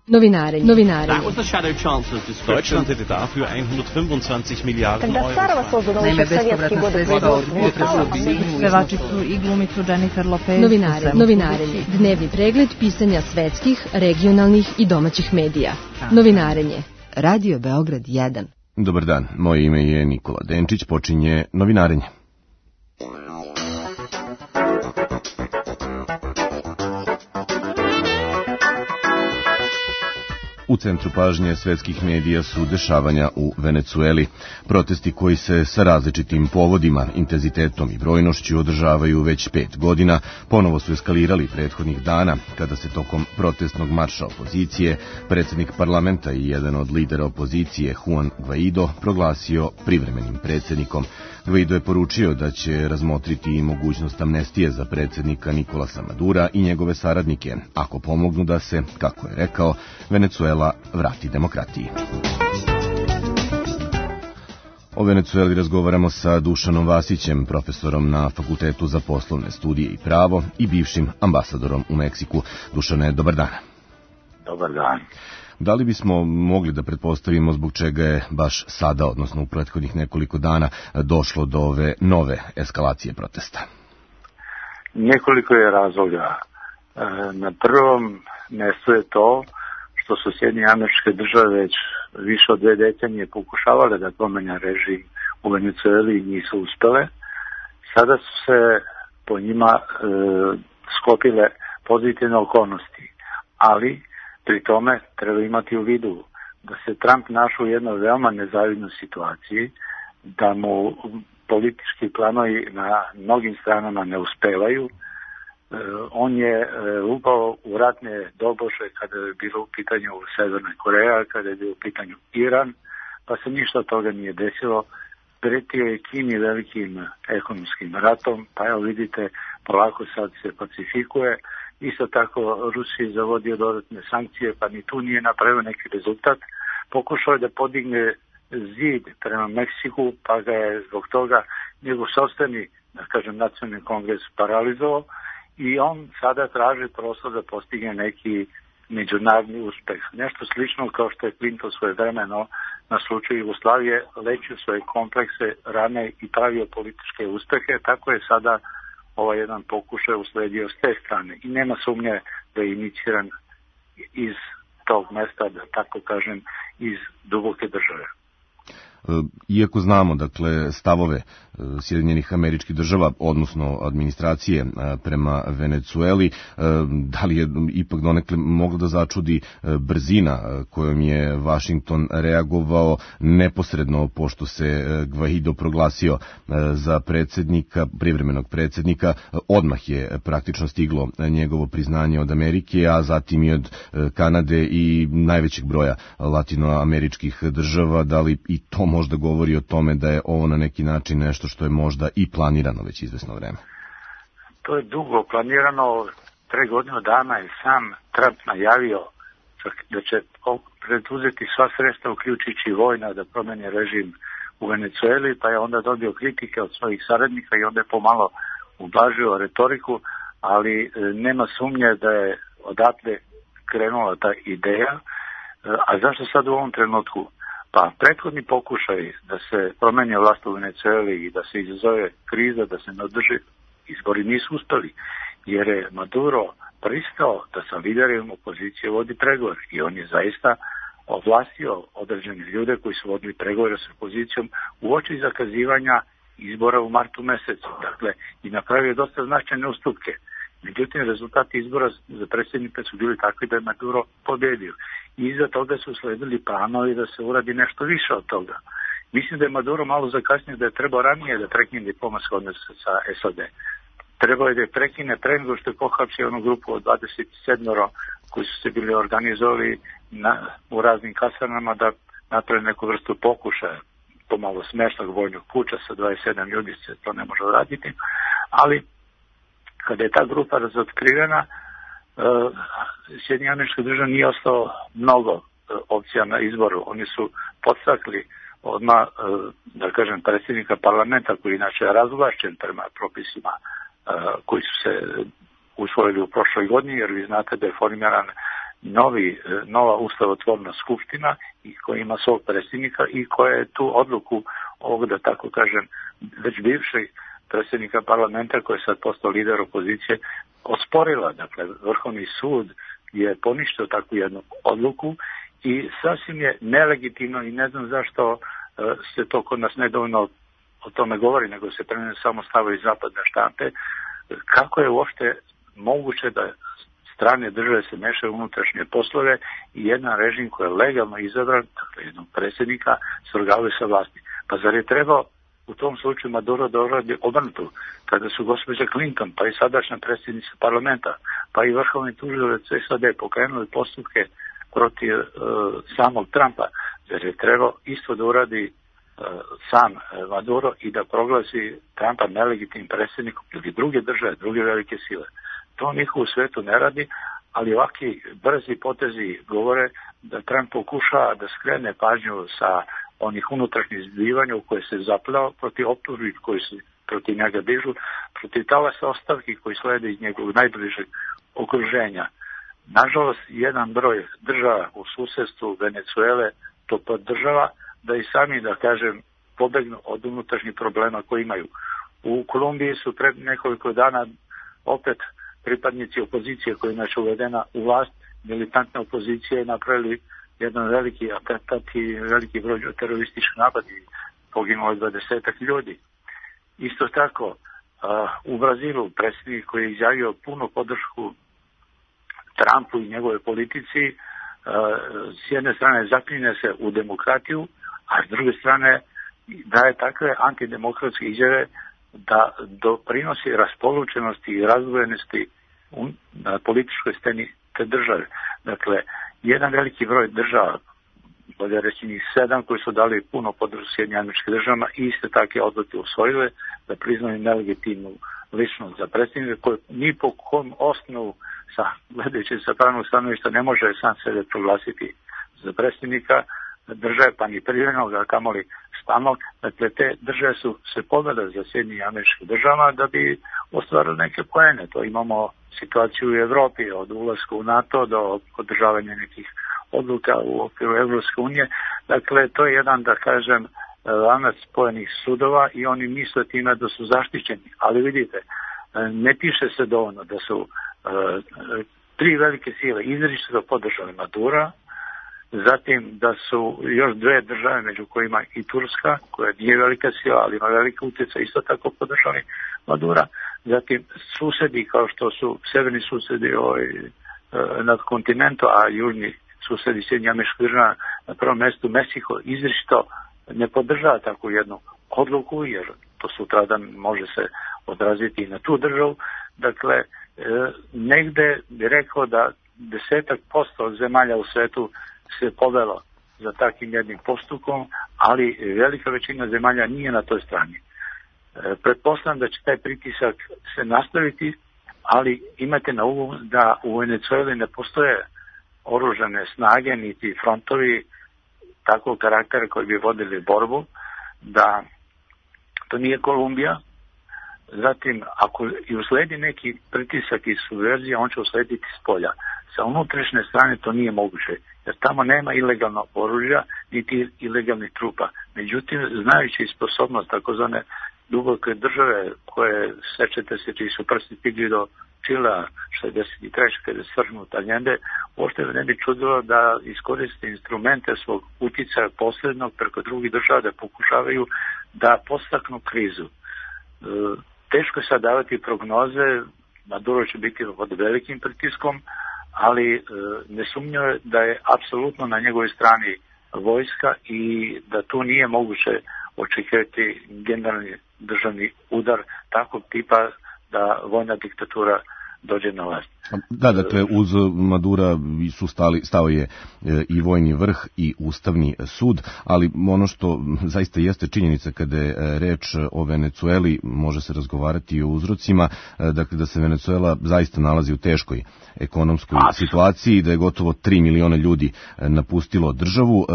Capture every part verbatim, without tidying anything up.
Novinarenje. Novinarenje. That was the shadow chancellor's description. Deutschland hätte dafür hundertfünfundzwanzig Milliarden Euro. Naime, bespovratna sredstva od pevačicu i glumicu Jennifer Lopez. Novinare, novinarenje. Dnevni pregled pisanja svetskih, regionalnih i domaćih medija. Novinarenje. Radio Beograd jedan. Dobar dan, moje ime je Nikola Denčić, počinje Novinarenje. U centru pažnje svetskih medija su dešavanja u Venecueli. Protesti koji se sa različitim povodima, intenzitetom i brojnošću održavaju već pet godina, ponovo su eskalirali prethodnih dana, kada se tokom protestnog marša opozicije predsjednik parlamenta i jedan od lidera opozicije, Juan Guaido, proglasio privremenim predsjednikom. Guaido je poručio da će razmotriti i mogućnost amnestije za predsjednika Nikolasa Madura i njegove saradnike, ako pomognu da se, kako je rekao, Venecuela vrati demokratiji. O Venecueli razgovaramo sa Dušanom Vasićem, profesorom na Fakultetu za poslovne studije i pravo i bivšim ambasadorom u Meksiku. Dušane, dobar dan. Dobar dan. Da li bismo mogli da pretpostavimo zbog čega je baš sada, odnosno u prethodnih nekoliko dana, došlo do ove nove eskalacije protesta? Nekoliko je razloga. Na prvom mjestu je to što su Sjedinjene Američke Države već više od dve decenije pokušavale da promene režim u Venecueli i nisu uspele. Sada su se po njima e, sklopile pozitivne okolnosti, ali pri tome treba imati u vidu da se Trump našao u jednoj veoma nezavidnoj situaciji, da mu politički planovi na mnogim stranama ne uspevaju. E, on je e, upao u ratne doboše kada je bilo u pitanju Severna Koreja, kada je bilo u pitanju Iran, pa se ništa od toga nije desilo. Pretio je Kini velikim ekonomskim ratom, pa evo vidite, polako sad se pacifikuje. Isto tako Rusiji zavodio dodatne sankcije, pa ni tu nije napravio neki rezultat. Pokušao je da podigne zid prema Meksiku, pa ga je zbog toga njegov sopstveni, da kažem, nacionalni kongres paralizovao i on sada traži prostor da postigne neki međunarodni uspeh. Nešto slično kao što je Clinton svoje vremeno na slučaju Jugoslavije lečio svoje komplekse rane i pravio političke uspehe, tako je sada ovaj jedan pokušaj usledio s te strane i nema sumnje da je iniciran iz tog mesta, da tako kažem, iz duboke države. Iako znamo, dakle, stavove Sjedinjenih Američkih Država, odnosno administracije prema Venecueli, da li je ipak donekle moglo da začudi brzina kojom je Washington reagovao neposredno pošto se Guaido proglasio za predsjednika, privremenog predsjednika, odmah je praktično stiglo njegovo priznanje od Amerike, a zatim i od Kanade i najvećeg broja latinoameričkih država. Da li i to možda govori o tome da je ovo na neki način nešto što je možda i planirano već izvesno vreme? To je dugo planirano. Pre godinu dana je sam Trump najavio da će preduzeti sva sredstva, uključujući vojna, da promeni režim u Venecueli, pa je onda dobio kritike od svojih saradnika i onda je pomalo ublažio retoriku, ali nema sumnje da je odatle krenula ta ideja. A zašto sad u ovom trenutku? Pa prethodni pokušaj da se promeni vlast u Venecueli i da se izazove kriza, da se ne održi izbori, nisu uspeli, jer je Maduro pristao da sa liderima opozicije vodi pregovor i on je zaista ovlastio određene ljude koji su vodili pregovore s opozicijom uoči zakazivanja izbora u martu mesecu. Dakle, i napravio dosta značajne ustupke. Međutim, rezultati izbora za predsjednika su bili takvi da je Maduro pobedio. I iza toga su sledili planovi da se uradi nešto više od toga. Mislim da je Maduro malo zakasnio, da je trebao ranije da prekine diplomatske odnose sa S A D. Trebao je da je prekine pre nego što je pohapsio onu grupu od dvadeset sedam koji su se bili organizovali na, u raznim kasarnama da naprave neku vrstu pokušaja, pomalo smešnog vojnog puča sa dvadeset sedam ljudi se to ne može uraditi, ali kada je ta grupa razotkrivena, uh, Sjedinjene Američke Države nije ostalo mnogo uh, opcija na izboru. Oni su podstakli odmah, uh, da kažem, predsjednika parlamenta, koji inače je razvlašćen prema propisima uh, koji su se usvojili u prošloj godini, jer vi znate da je formiran novi, nova ustavotvorna skupština i koja ima svog predsjednika i koja je tu odluku ovog, da tako kažem, već bivšeg predsjednika parlamenta koji je sad postao lider opozicije osporila. Dakle, Vrhovni sud je poništio takvu jednu odluku i sasvim je nelegitimno i ne znam zašto se to kod nas nedovoljno o tome govori, nego se trenutno samo stavaju zapadne štampe. Kako je uopšte moguće da strane države se mešaju unutrašnje poslove i jedan režim koji je legalno izabran, dakle jednog predsjednika, se orgavuje sa vlasti. Pa zar je trebao u tom slučaju Maduro da uradi obrnuto, kada su gospođa Clinton, pa i sadašnja predsjednica parlamenta, pa i vrhovni tužilac S A D pokrenuli postupke protiv uh, samog Trumpa, zar je trebao isto da uradi uh, sam uh, Maduro i da proglasi Trumpa nelegitimnim predsjednikom ili druge države, druge velike sile. To niko u svetu ne radi, ali ovakvi brzi potezi govore da Trump pokušava da skrene pažnju sa onih unutrašnjih zbivanja u koje se zaplao protiv optužbi koji se protiv njega dižu, protiv talasa ostavki koji slede iz njegovog najbližeg okruženja. Nažalost, jedan broj država u susedstvu Venecuele to podržava da i sami, da kažem, pobegnu od unutrašnjih problema koje imaju. U Kolumbiji su pred nekoliko dana opet pripadnici opozicije koja je inače uvedena u vlast, militantne opozicije napravili jedan veliki atentat i veliki broj terorističkih napada i poginulo je dvadesetak ljudi. Isto tako, uh, u Brazilu predsjednik koji je izjavio punu podršku Trumpu i njegove politici, uh, s jedne strane zaklinje se u demokratiju, a s druge strane daje takve antidemokratske izjave da doprinosi raspolučenosti i razdvojenosti na političkoj sceni te države. Dakle, jedan veliki broj država, bolje reći njih sedam, koji su dali puno podršku Sjedinjenim Američkim Državama i iste takve odluke usvojile da priznaju nelegitimnu ličnost za predsjednika koji ni po kom osnovu, sa, gledajući sa pravnog stanovišta, ne može sam sebe proglasiti za predsjednika države, pa ni privremenog, a kamoli stalnog. Dakle, te države su se podale za Sjedinjenim Američkim Državama da bi ostvarili neke poene. To imamo situaciju u Evropi, od ulaska u NATO do održavanja nekih odluka u okviru Evropske unije. Dakle, to je jedan, da kažem, lanac spojenih sudova i oni misle time da su zaštićeni. Ali vidite, ne piše se dovoljno da su uh, tri velike sile izričito podržali Madura, zatim da su još dve države, među kojima i Turska, koja nije velika sila, ali ima velika utjeca, isto tako podržali Madura. Zatim susedi, kao što su severni susedi ovaj, nad kontinentu, a južni susedi Sjedinjenih Američkih Država, na prvom mjestu Meksiko, izričito ne podržava takvu jednu odluku, jer to sutradan može se odraziti i na tu državu. Dakle, negde bi rekao da desetak posto od zemalja u svetu se povelo za takvim jednim postupkom, ali velika većina zemalja nije na toj strani. E, pretpostavljam da će taj pritisak se nastaviti, ali imate na umu da u Venecueli ne postoje oružane snage niti frontovi takvog karaktera koji bi vodili borbu, da to nije Kolumbija. Zatim, ako i usledi neki pritisak i subverzija, on će uslediti s polja. Sa unutrašnje strane to nije moguće, jer tamo nema ilegalnog oružja, niti ilegalnih trupa. Međutim, znajući sposobnost takozvane duboke države, koje sećate se čiji su prsti stigli do Čila šezdeset treće kada je svrgnut Allende, uopšte ne bi čudilo da iskoriste instrumente svog utjecaja posrednog preko drugih država da pokušavaju da podstaknu krizu. Teško je sad davati prognoze, Maduro će biti pod velikim pritiskom, ali nesumnjivo je da je apsolutno na njegovoj strani vojska i da tu nije moguće očekivati generalni državni udar takvog tipa da vojna diktatura dođe na vlast. Da, dakle, uz Madura su stali, stao je i vojni vrh i ustavni sud, ali ono što zaista jeste činjenica kada je reč o Venecueli, može se razgovarati i o uzrocima, dakle da se Venecuela zaista nalazi u teškoj ekonomskoj A, situaciji, da je gotovo tri miliona ljudi napustilo državu.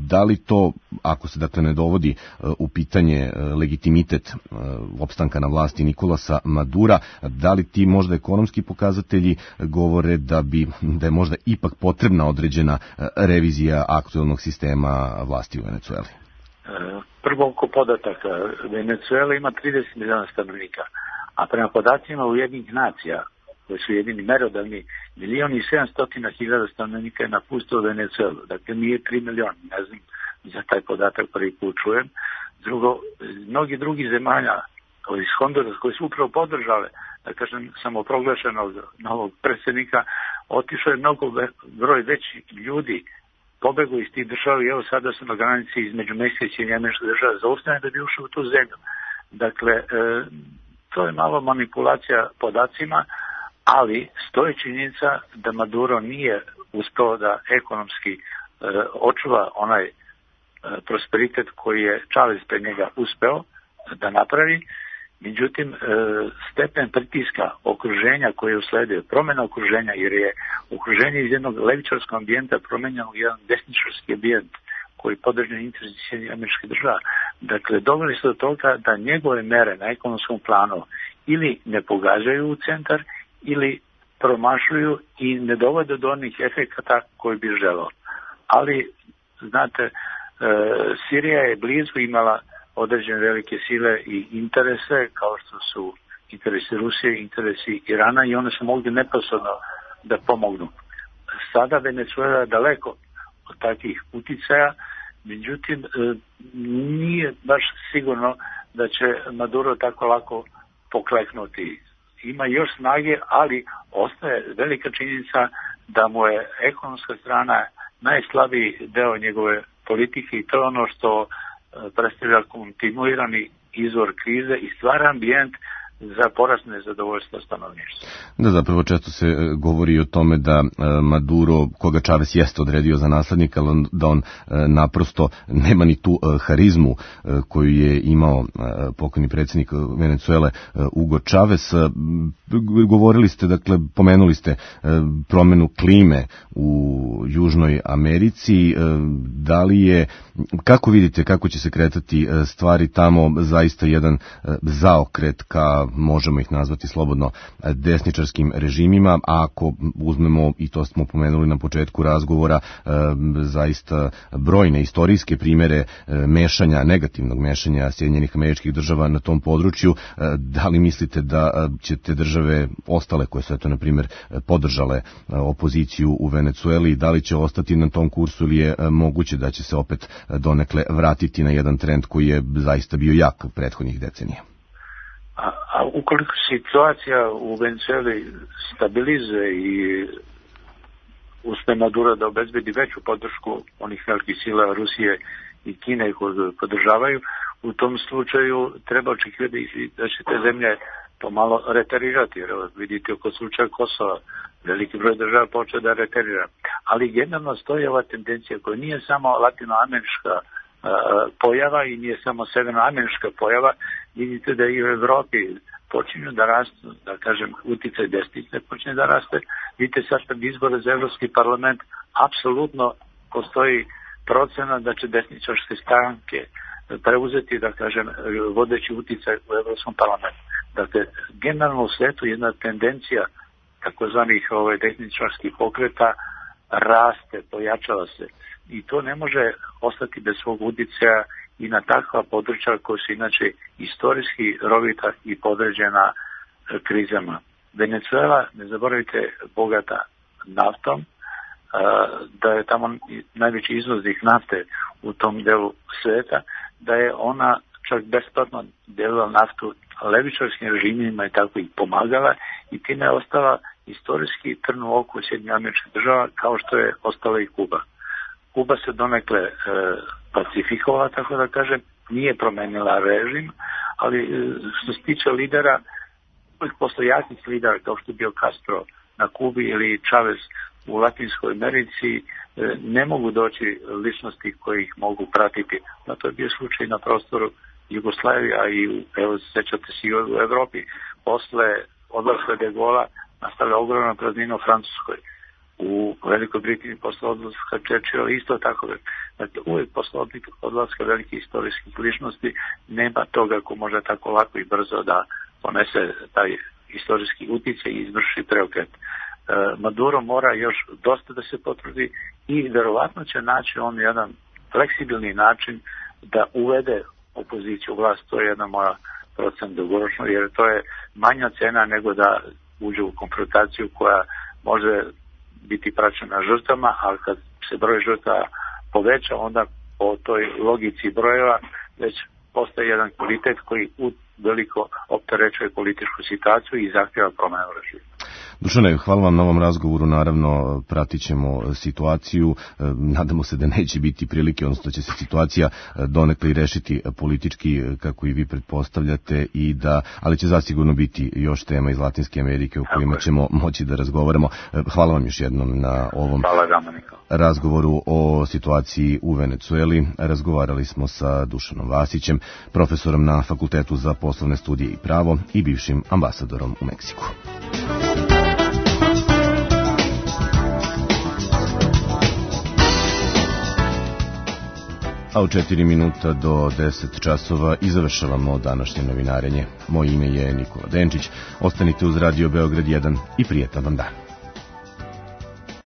Da li to, ako se dakle ne dovodi u pitanje legitimitet opstanka na vlasti Nikolasa Madura, da li ti možda ekonomski neki pokazatelji govore da bi da je možda ipak potrebna određena revizija aktuelnog sistema vlasti u Venecueli. Prvo oko podataka. Venecuela ima trideset miliona stanovnika, a prema podacima Ujedinjenih nacija, koji su jedini merodavni, milion i sedamstotina hiljada stanovnika je napustilo Venecuelu. Dakle, nije tri miliona, ne znam, za taj podatak prvi put čujem. Drugo, mnogi drugi zemalja iz Hondurasa koji su upravo podržale, da kažem, samoproglašenog novog predsjednika, otišao je mnogo broj veći ljudi, pobegu iz tih država i evo sada su na granici između Meksike i Američke države zaustavljeni da bi ušao u tu zemlju. Dakle, e, to je malo manipulacija podacima, ali stoji činjenica da Maduro nije uspeo da ekonomski e, očuva onaj e, prosperitet koji je Chavez pre njega uspeo da napravi. Međutim, e, stepen pritiska okruženja koje je usledio, promjena okruženja, jer je okruženje iz jednog levičarskog ambijenta promenjeno u jedan desničarski ambijent koji podržava interes Sjedinjenih Američkih Država. Dakle, doveli su do toga da njegove mere na ekonomskom planu ili ne pogađaju u centar ili promašuju i ne dovode do onih efekata koji bi želeo. Ali, znate, e, Sirija je blizu imala određene velike sile i interese, kao što su interesi Rusije, interesi Irana, i one su mogli neposredno da pomognu. Sada Venezuela je daleko od takvih uticaja, međutim nije baš sigurno da će Maduro tako lako pokleknuti. Ima još snage, ali ostaje velika činjenica da mu je ekonomska strana najslabiji deo njegove politike i to je ono što predstavlja kontinuirani izvor krize i stvara ambijent za porast nezadovoljstva stanovništva. Da, zapravo često se govori o tome da Maduro, koga Chavez jeste odredio za naslednika, ali da on naprosto nema ni tu harizmu koju je imao pokojni predsjednik Venecuele Hugo Chavez. Govorili ste, dakle, pomenuli ste promjenu klime u Južnoj Americi. Da li je, kako vidite, kako će se kretati stvari tamo, zaista jedan zaokret ka, možemo ih nazvati slobodno, desničarskim režimima, a ako uzmemo, i to smo pomenuli na početku razgovora, zaista brojne istorijske primjere mešanja, negativnog mešanja Sjedinjenih Američkih Država na tom području, da li mislite da će te države ostale koje su, eto, na primjer, podržale opoziciju u Venecueli, da li će ostati na tom kursu ili je moguće da će se opet donekle vratiti na jedan trend koji je zaista bio jak prethodnih decenija? A, a ukoliko situacija u Venezueli stabilizuje i uspe Maduro da obezbedi veću podršku onih velikih sila Rusije i Kine koji podržavaju, u tom slučaju treba očekivati da će te zemlje pomalo reterirati. Jer vidite oko slučaja Kosova, veliki broj država počeo da reterira. Ali generalno stoji ova tendencija koja nije samo latinoamerička pojava i nije samo severnoamerička pojava. Vidite da i u Evropi počinju da rastu, da kažem, uticaj desnice počinje da raste. Vidite sad pred izbore za Evropski parlament apsolutno postoji procena da će desničarske stranke preuzeti, da kažem, vodeći uticaj u Evropskom parlamentu. Dakle, generalno u svetu jedna tendencija takozvanih ovaj, desničarskih pokreta raste, pojačava se. I to ne može ostati bez svog uticaja i na takva područja koja su inače istorijski rovita i podređena krizama. Venezuela, ne zaboravite, bogata naftom, da je tamo najveći izvoznik nafte u tom delu sveta, da je ona čak besplatno delila naftu levičarskim režimima i tako ih pomagala i time je ostala istorijski trn u oku Sjedinjenih Američkih Država, kao što je ostala i Kuba. Kuba se donekle e, pacifikovala, tako da kažem, nije promenila režim, ali e, što se tiče lidera, uvijek posle jakih lidera kao što je bio Castro na Kubi ili Chavez u Latinskoj Americi, e, ne mogu doći ličnosti koji ih mogu pratiti. Na to je bio slučaj na prostoru Jugoslavije, a i evo, sećate se i u Evropi. Posle odlaska de Gaulla nastavlja ogromna praznina u Francuskoj. U Velikoj Britaniji posle odlaska Churchilla isto tako. Dakle, uvijek posle odlaska velikih istorijskih ličnosti nema toga ko može tako lako i brzo da ponese taj istorijski utjecaj i izvrši preokret. Maduro mora još dosta da se potvrdi i verovatno će naći on jedan fleksibilni način da uvede opoziciju u vlast. To je jedna moja procena dugoročno, jer to je manja cena nego da uđe u konfrontaciju koja može biti praćena žrtvama, ali kad se broj žrtava poveća, onda po toj logici brojeva već postaje jedan kvalitet koji veliko opterećuje političku situaciju i zahtjeva promjenu režima. Dušane, hvala vam na ovom razgovoru, naravno pratit ćemo situaciju, nadamo se da neće biti prilike, odnosno da će se situacija donekle i rešiti politički kako i vi pretpostavljate, i da, ali će zasigurno biti još tema iz Latinske Amerike o kojima ćemo moći da razgovaramo. Hvala vam još jednom na ovom razgovoru o situaciji u Venecueli. Razgovarali smo sa Dušanom Vasićem, profesorom na Fakultetu za poslovne studije i pravo i bivšim ambasadorom u Meksiku. A u četiri minuta do deset časova i završavamo današnje novinarenje. Moje ime je Nikola Denčić. Ostanite uz Radio Beograd jedan i prijetan vam dan.